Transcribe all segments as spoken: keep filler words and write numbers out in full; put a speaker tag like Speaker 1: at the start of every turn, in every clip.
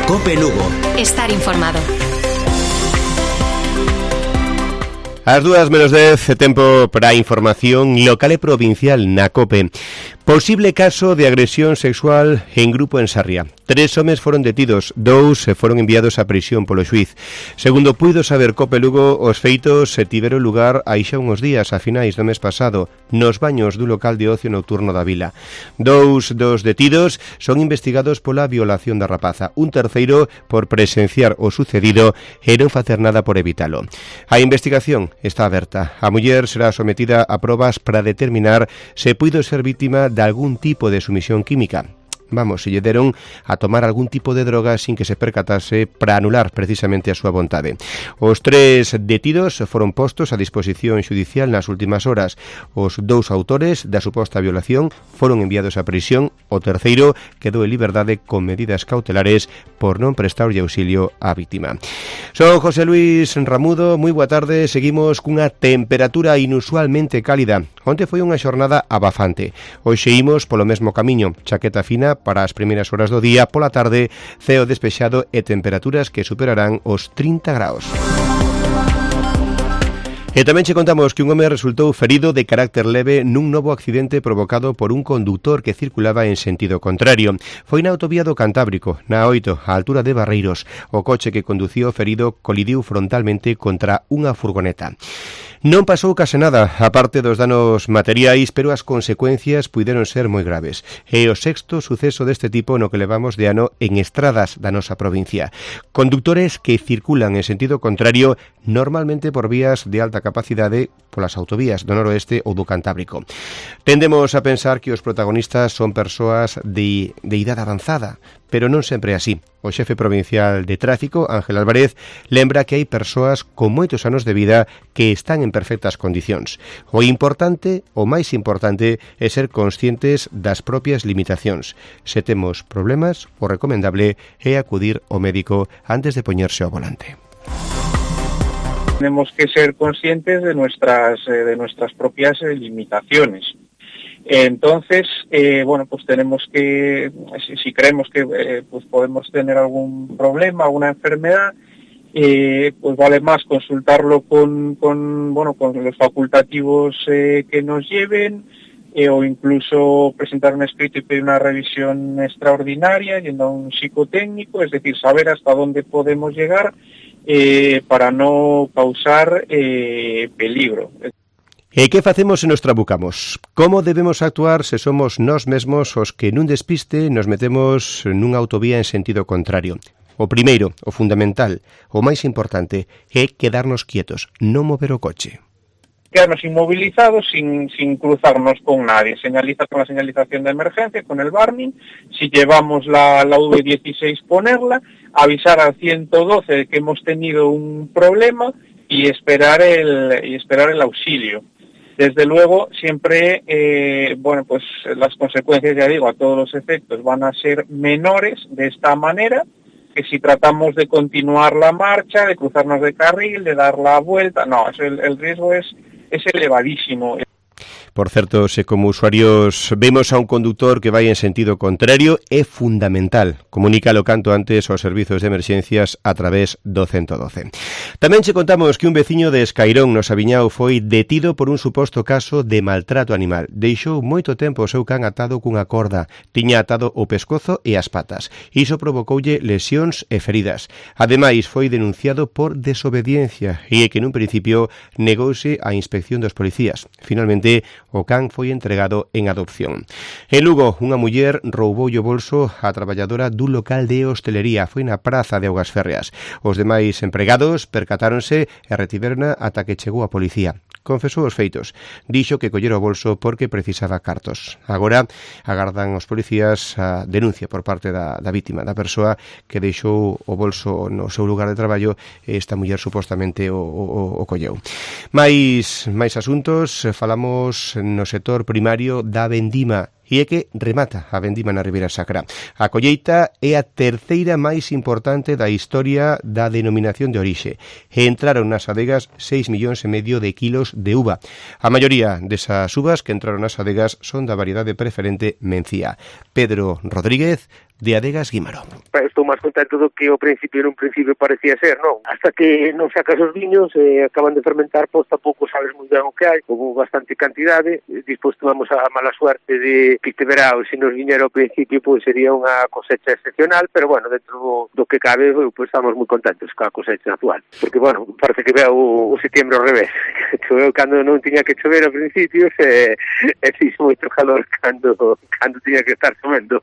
Speaker 1: COPE Lugo.
Speaker 2: Estar informado.
Speaker 3: As dúas menos dez, tempo para a información local e provincial na COPE. Posible caso de agresión sexual en grupo en Sarria. Tres homes foron detidos, dous foron enviados a prisión polo xuiz. Segundo puido saber COPE Lugo, os feitos se tiveron lugar hai xa uns días, a finais do mes pasado, nos baños do local de ocio nocturno da vila. Dous dos detidos son investigados pola violación da rapaza, un terceiro por presenciar o sucedido e non facer nada por evitalo. A investigación está aberta. A muller será sometida a probas para determinar se puido ser vítima de algún tipo de sumisión química. Vamos, se lle deron a tomar algún tipo de droga sin que se percatase para anular precisamente a súa vontade. Os tres detidos foron postos a disposición xudicial nas últimas horas. Os dous autores da suposta violación foron enviados a prisión. O terceiro quedou en liberdade con medidas cautelares por non prestarlle auxilio á vítima. Son José Luis Ramudo, moi boa tarde. Seguimos cunha temperatura inusualmente cálida. Onte foi unha xornada abafante. Hoxe imos polo mesmo camiño, chaqueta fina para as primeiras horas do día, pola tarde, ceo despexado e temperaturas que superarán os trinta graus. E tamén che contamos que un home resultou ferido de carácter leve nun novo accidente provocado por un conductor que circulaba en sentido contrario. Foi na autovía do Cantábrico, na oito, á altura de Barreiros. O coche que conducía o ferido colidiu frontalmente contra unha furgoneta. Non pasou case nada, aparte dos danos materiais, pero as consecuencias puideron ser moi graves. É o sexto suceso deste tipo no que levamos de ano en estradas da nosa provincia. Conductores que circulan en sentido contrario, normalmente por vías de alta capacidade, polas autovías do noroeste ou do Cantábrico. Tendemos a pensar que os protagonistas son persoas de, de idade avanzada, pero non sempre é así. O xefe provincial de tráfico, Ángel Álvarez, lembra que hai persoas con moitos anos de vida que están en perfectas condicións. O importante, o máis importante, é ser conscientes das propias limitacións. Se temos problemas, o recomendable é acudir ao médico antes de poñerse ao volante.
Speaker 4: Tenemos que ser conscientes de nuestras, eh, de nuestras propias eh, limitaciones. Entonces, eh, bueno, pues tenemos que, si, si creemos que eh, pues podemos tener algún problema, alguna enfermedad, eh, pues vale más consultarlo con, con, bueno, con los facultativos eh, que nos lleven, eh, o incluso presentar un escrito y pedir una revisión extraordinaria yendo a un psicotécnico, es decir, saber hasta dónde podemos llegar eh, para no causar eh, peligro.
Speaker 3: E que facemos se nos trabucamos? Como debemos actuar se somos nós mesmos os que nun despiste nos metemos nunha autovía en sentido contrario? O primeiro, o fundamental, o máis importante, é quedarnos quietos, non mover o coche.
Speaker 4: Quedarnos inmovilizados sin, sin cruzarnos con nadie. Señaliza con la señalización de emergencia, con el warning. Si llevamos la, la V dieciséis, ponerla, avisar al ciento doce de que hemos tenido un problema y esperar el, y esperar el auxilio. Desde luego, siempre, eh, bueno, pues las consecuencias, ya digo, a todos los efectos van a ser menores de esta manera que si tratamos de continuar la marcha, de cruzarnos de carril, de dar la vuelta. No, eso, el, el riesgo es, es elevadísimo.
Speaker 3: Por certo, se como usuarios vemos a un conductor que vai en sentido contrario, é fundamental comunícalo canto antes aos servizos de emerxencias a través do ciento doce. Tamén che contamos que un veciño de Escairón, no Sabiñao, foi detido por un suposto caso de maltrato animal. Deixou moito tempo o seu can atado cunha corda, tiña atado o pescozo e as patas. Iso provocoulle lesións e feridas. Ademais, foi denunciado por desobediencia e é que nun principio negouse a inspección dos policías. Finalmente, o can foi entregado en adopción. En Lugo, unha muller rouboulle o bolso a traballadora dun local de hostelería. Foi na praza de Augas Férreas. Os demais empregados percatáronse e retiverona ata que chegou a policía. Confesou os feitos. Dixo que collera o bolso porque precisaba cartos. Agora agardan os policías a denuncia por parte da, da vítima, da persoa que deixou o bolso no seu lugar de traballo e esta muller supostamente o, o, o colleu. Mais, máis asuntos, falamos no sector primario da vendima. E é que remata a vendima na Ribeira Sacra. A colleita é a terceira máis importante da historia da denominación de orixe. E entraron nas adegas seis millóns e medio de kilos de uva. A maioría desas uvas que entraron nas adegas son da variedade preferente Mencía. Pedro Rodríguez, de Adegas Guimaró.
Speaker 1: Estou máis contento do que ao principio nun principio parecía ser, non? Hasta que non sacas os viños, eh, acaban de fermentar, pois tampouco sabes moi ben o que hai, houve bastante cantidade, despois tomamos a mala suerte de que este verao, se nos viñera ao principio, pois sería unha cosecha excepcional, pero bueno, dentro do, do que cabe, pois estamos moi contentos ca cosecha actual, porque bueno, parece que veo o, o setembro ao revés, choveu cando non tiña que chover ao principio, e, e fixo moito calor cando, cando tiña que estar chovendo.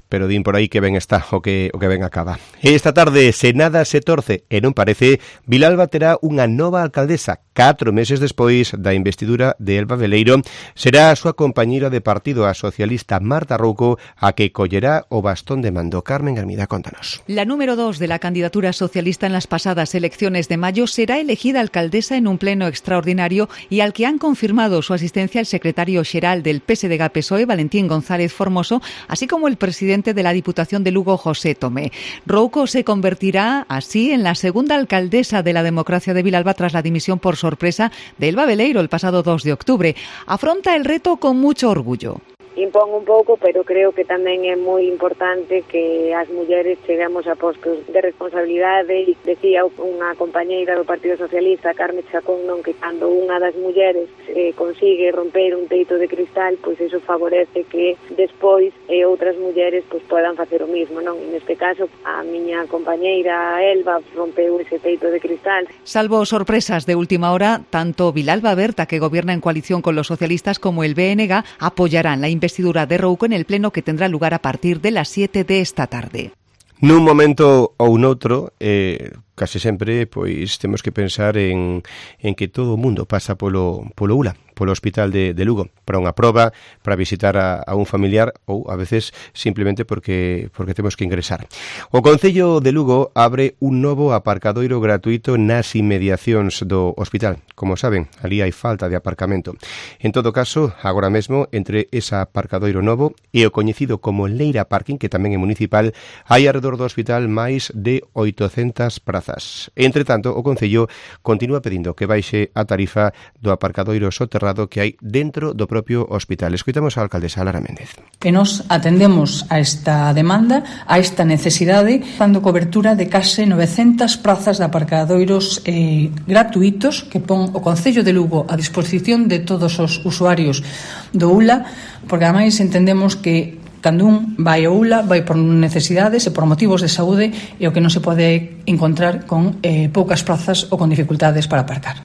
Speaker 3: Pero din por aí que ben está o que o que ben acaba. Esta tarde, se nada se torce e non parece, Vilalba terá unha nova alcaldesa. Catro meses despois da investidura de Elba Veleiro, será a súa compañeira de partido, a socialista Marta Rouco, a que collerá o bastón de mando. Carmen Hermida, contanos.
Speaker 2: La número dos de la candidatura socialista en las pasadas elecciones de mayo será elegida alcaldesa en un pleno extraordinario y al que han confirmado su asistencia el secretario xeral del P S D G P S O E, Valentín González Formoso, así como el presidente de la Diputación de Lugo, José Tomé. Rouco se convertirá así en la segunda alcaldesa de la democracia de Vilalba tras la dimisión por sorpresa de Elba Veleiro el pasado dos de octubre. Afronta el reto con mucho orgullo.
Speaker 5: Impón un pouco, pero creo que tamén é moi importante que as mulleres cheguemos a postos de responsabilidade. Decía unha compañeira do Partido Socialista, Carme Chacón, non, que cando unha das mulleres eh, consigue romper un teito de cristal, pois iso favorece que despois eh, outras mulleres pois podan facer o mismo, non? Neste caso, a miña compañeira Elba rompeu ese teito de cristal.
Speaker 2: Salvo sorpresas de última hora, tanto Vilalba Berta, que gobierna en coalición con los socialistas, como el B N G apoyarán la investigación investidura de Rouco en el pleno que tendrá lugar a partir de las siete de esta tarde.
Speaker 3: Nun momento ou noutro, eh, case sempre, pois temos que pensar en, en que todo o mundo pasa polo, polo U L A, polo Hospital de, de Lugo, para unha proba, para visitar a, a un familiar ou a veces simplemente porque porque temos que ingresar. O Concello de Lugo abre un novo aparcadoiro gratuito nas inmediacións do hospital. Como saben, ali hai falta de aparcamento. En todo caso, agora mesmo, entre ese aparcadoiro novo e o coñecido como Leira Parking, que tamén é municipal, hai arredor do hospital máis de oitocentas prazas. Entre tanto, o Concello continúa pedindo que baixe a tarifa do aparcadoiro soterrado que hai dentro do propio hospital. Escoitamos a alcaldesa Lara Méndez.
Speaker 6: E nos atendemos a esta demanda, a esta necesidade, dando cobertura de case novecentas prazas de aparcadoiros eh, gratuitos que pon o Concello de Lugo a disposición de todos os usuarios do U L A, porque ademais entendemos que cando un vai ao U L A vai por necesidades e por motivos de saúde e o que non se pode encontrar con eh, poucas prazas ou con dificultades para aparcar.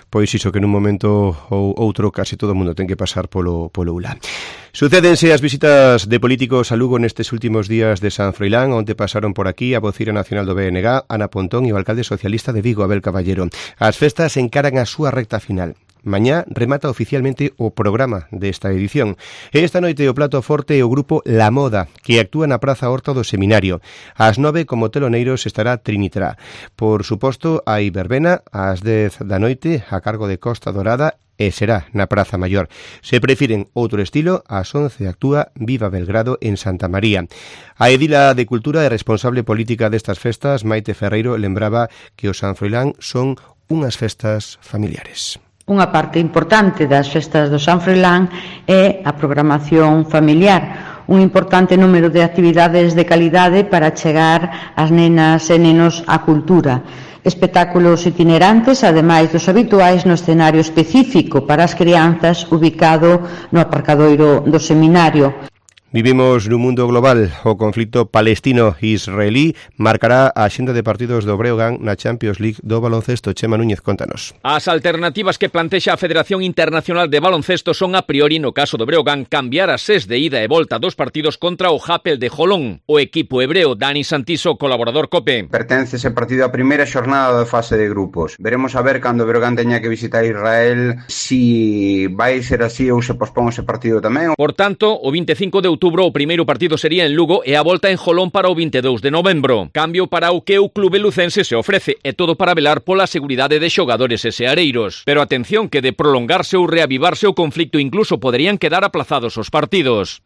Speaker 3: Pois iso que nun momento ou outro case todo o mundo ten que pasar polo, polo U L A. Sucédense as visitas de políticos a Lugo nestes últimos días de San Froilán, onde pasaron por aquí a voceira nacional do B N G, Ana Pontón, e o alcalde socialista de Vigo, Abel Caballero. As festas encaran a súa recta final. Mañá remata oficialmente o programa desta edición. E esta noite o plato forte é o grupo La Moda, que actúa na Praza Horta do Seminario. Ás nove, como teloneiros, estará Trinitrá. Por suposto, hai verbena ás dez da noite a cargo de Costa Dorada e será na Praza Maior. Se prefiren outro estilo, ás once actúa Viva Belgrado en Santa María. A edila de Cultura e responsable política destas festas, Maite Ferreiro, lembraba que o San Froilán son unhas festas familiares.
Speaker 7: Unha parte importante das festas do San Froilán é a programación familiar, un importante número de actividades de calidade para chegar as nenas e nenos á cultura. Espectáculos itinerantes, ademais dos habituais no escenario específico para as crianzas ubicado no aparcadoiro do Seminario.
Speaker 3: Vivimos nun mundo global. O conflito palestino-israelí marcará a axenda de partidos do Breogán na Champions League do baloncesto. Chema Núñez, contanos.
Speaker 8: As alternativas que plantexa a Federación Internacional de Baloncesto son, a priori, no caso do Breogán, cambiar as ses de ida e volta dos partidos contra o Hapoel de Jolón. O equipo hebreo, Dani Santiso, colaborador COPE.
Speaker 9: Pertence ese partido á primeira xornada da fase de grupos. Veremos a ver cando o Breogán teña que visitar Israel si vai ser así ou se pospón ese partido tamén.
Speaker 8: Por tanto, o vinte e cinco de outubro o primeiro partido sería en Lugo e a volta en Jolón para o vinte e dous de novembro. Cambio para o que o clube lucense se ofrece, e todo para velar pola seguridade de xogadores e seareiros. Pero atención, que de prolongarse ou reavivarse o conflicto incluso poderían quedar aplazados os partidos.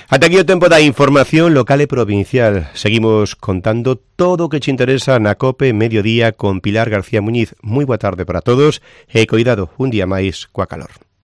Speaker 3: Ata aquí o tempo da información local e provincial. Seguimos contando todo o que che interesa na COPE Mediodía con Pilar García Muñiz. Moi boa tarde para todos e coidado un día máis coa calor.